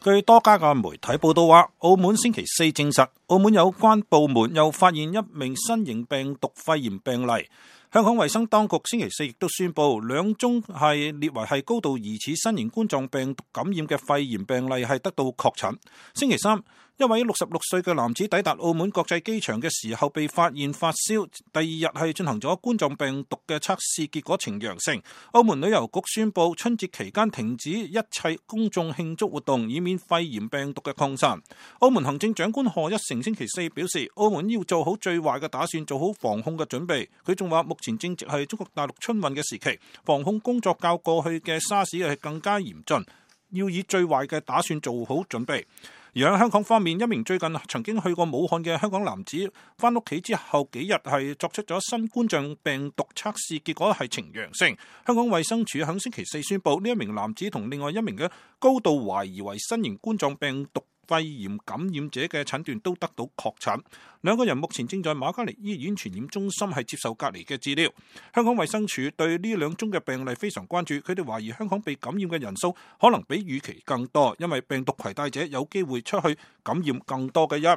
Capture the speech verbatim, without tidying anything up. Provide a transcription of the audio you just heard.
據多家嘅媒體報道話，澳門星期四證實，澳門有關部門又發現一名新型病毒肺炎病例。香港衛生當局星期四亦都宣布，兩宗係列為係高度疑似新型冠狀病毒感染嘅肺炎病例係得到確診。星期三，一位六十六歲嘅男子抵達澳門國際機場嘅時候被發現發燒，第二日係進行咗冠狀病毒嘅測試，結果呈陽性。澳門旅遊局宣布春節期間停止一切公眾慶祝活動，以免肺炎病毒嘅擴散。澳門行政長官賀一誠星期四表示，澳門要做好最壞嘅打算，做好防控嘅準備。佢仲話，目前正值係中國大陸春運嘅時期，防控工作較過去嘅沙士係更加嚴峻，要以最壞嘅打算做好準備。而喺香港方面，一名最近曾經去過武漢嘅香港男子返屋企之後幾日係作出咗新冠狀病毒測試，結果係呈陽性。香港衛生署喺星期四宣布，呢一名男子同另外一名嘅高度懷疑為新型冠狀病毒肺炎感染者嘅診斷都得到確診，兩個人目前正在瑪嘉烈醫院傳染中心係接受隔離嘅治療。香港衛生署對呢兩宗嘅病例非常關注，佢哋懷疑香港被感染嘅人數可能比預期更多，因為病毒攜帶者有機會出去感染更多嘅人。